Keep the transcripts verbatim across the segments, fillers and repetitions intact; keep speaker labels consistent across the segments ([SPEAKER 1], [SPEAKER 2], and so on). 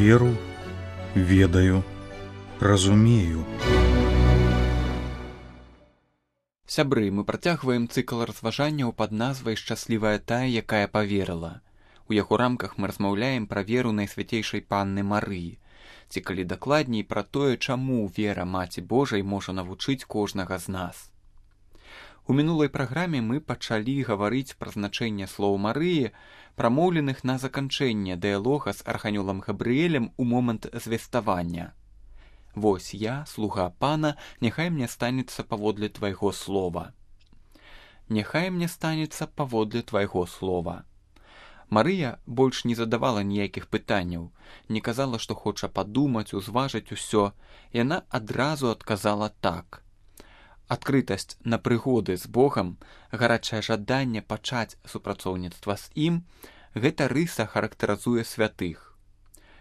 [SPEAKER 1] Веру, ведаю, разумею.
[SPEAKER 2] Сябры, мы працягваем цыкл разважанняў пад назвай «Шчаслівая тая, якая паверыла». У яго рамках мы размаўляем пра веру Найсвяцейшай Панны Марыі, ці калі дакладней пра тое, чаму вера Маці Божай можа навучыць кожнага з нас. У мінулай праграме мы пачалі гаварыць пра значэнне слоў Марыі, прамоўленых на заканчэнне дыялога з арханёлам Габрыэлем у момант звеставання. «Вось я, слуга пана, няхай мне станецца паводле твайго слова». «Няхай мне станецца паводле твайго слова». Марыя больш не задавала ніякіх пытанняў, не казала, што хоча падумаць, узважыць усё. Яна адразу адказала так. Адкрытасць на прыгоды з Богам, гарачае жаданне пачаць супрацоўніцтва з ім – гэта рыса характарызуе святых.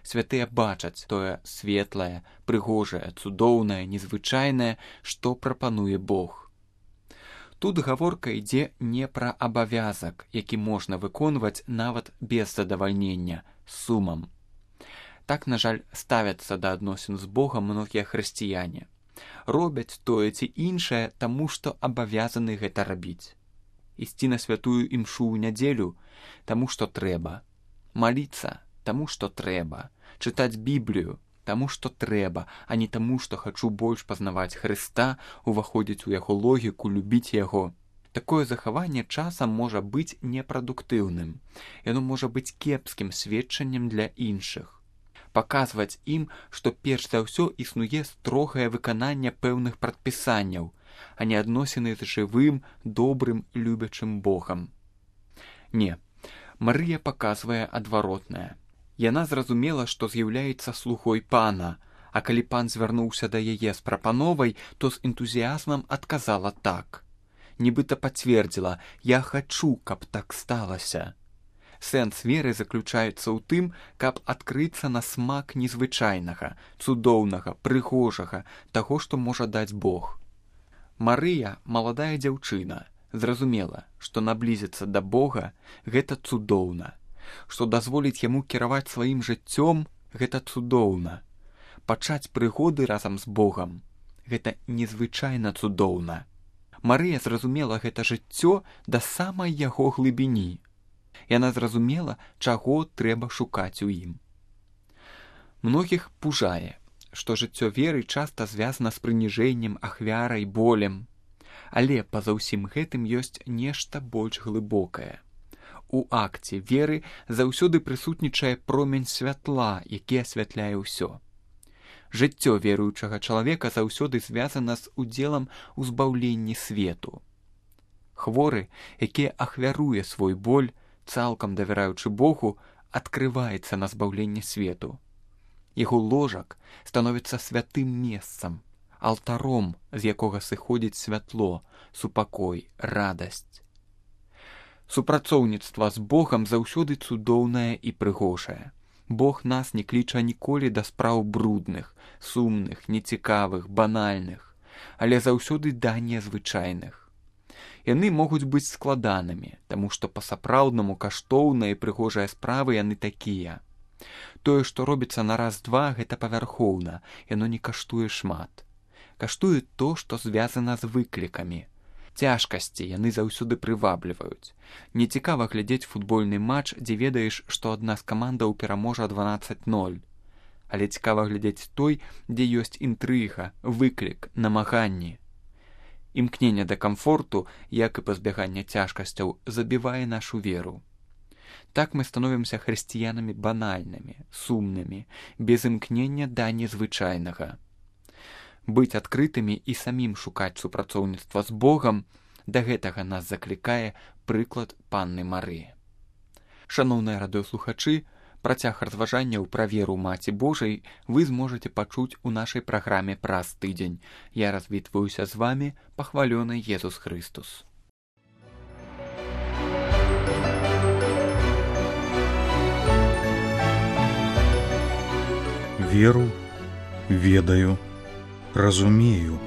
[SPEAKER 2] Святыя бачаць тое светлае, прыгожае, цудоўнае, незвычайнае, што прапануе Бог. Тут гаворка ідзе не пра абавязак, які можна выконваць нават без задавальнення, з сумам. Так, на жаль, ставяцца да адносін з Богам многія хрысціяне. Робяць тое ці іншае, таму што абавязаны гэта рабіць. Ісці на святую імшу ў нядзелю, таму што трэба. Маліцца, таму што трэба. Чытаць Біблію, таму што трэба, а не таму, што хачу больш пазнаваць Хрыста, уваходзіць у яго логіку, любіць яго. Такое захаванне часам можа быць непрадуктыўным. Яно можа быць кепскім сведчаннем для іншых. Паказваць ім, што перш за ўсё існуе строгае выкананне пэўных прадпісанняў, а не адносіны з жывым, добрым, любячым Богам. Не, Марыя паказвае адваротнае. Яна зразумела, што з'яўляецца слугой пана, а калі пан звярнуўся да яе з прапановай, то з энтузіязмам адказала так. Нібыта пацвердзіла: «Я хачу, каб так сталася». Сэнс веры заключаецца ў тым, каб адкрыцца на смак незвычайнага, цудоўнага, прыгожага, таго, што можа даць Бог. Марыя, маладая дзяўчына, зразумела, што наблізіцца да Бога – гэта цудоўна. Што дазволіць яму кіраваць сваім жыццём – гэта цудоўна. Пачаць прыгоды разам з Богам – гэта незвычайна цудоўна. Марыя зразумела гэта жыццё да самай яго глыбіні. Яна зразумела, чаго трэба шукаць у ім. Многіх пужае, што жыццё веры часта звязана з прыніжэннем, ахвярай, болем. Але па-за ўсім гэтым ёсць нешта больш глыбокае. У акце веры заўсёды прысутнічае промень святла, які асвятляе ўсё. Жыццё веруючага чалавека заўсёды звязана з удзелам у збаўленні свету. Хворы, які ахвяруе свой боль, цалкам давяраючы Богу, адкрываецца на збаўленне свету. Яго ложак становіцца святым месцам, алтаром, з якога сыходзіць святло, супакой, радасць. Супрацоўніцтва з Богам заўсёды цудоўнае і прыгожае. Бог нас не кліча ніколі да спраў брудных, сумных, нецікавых, банальных, але заўсёды да незвычайных. Яны могуць быць складанымі, таму што па-сапраўднаму каштоўныя і прыгожыя справы яны такія. Тое, што робіцца на раз-два, гэта павярхоўна, яно не каштуе шмат. Каштуе то, што звязана з выклікамі. Цяжкасці яны заўсёды прывабліваюць. Нецікава глядзець футбольны матч, дзе ведаеш, што адна з камандаў пераможа дванаццаць ноль. Але цікава глядзець той, дзе ёсць інтрыга, выклік, намаганні. Імкненне да камфорту, як і пазбяганне цяжкасцяў, забівае нашу веру. Так мы становімся хрысціянамі банальнымі, сумнымі, без імкнення да незвычайнага. Быць адкрытымі і самім шукаць супрацоўніцтва з Богам, да гэтага нас заклікае прыклад Панны Марыі. Шаноўныя радыёслухачы, працяг разважанняў пра веру Маці Божай вы зможаце пачуць у нашай праграме праз тыдзень. Я развітваюся з вамі, пахвалёны Езус Хрыстус.
[SPEAKER 1] Веру, ведаю, разумею.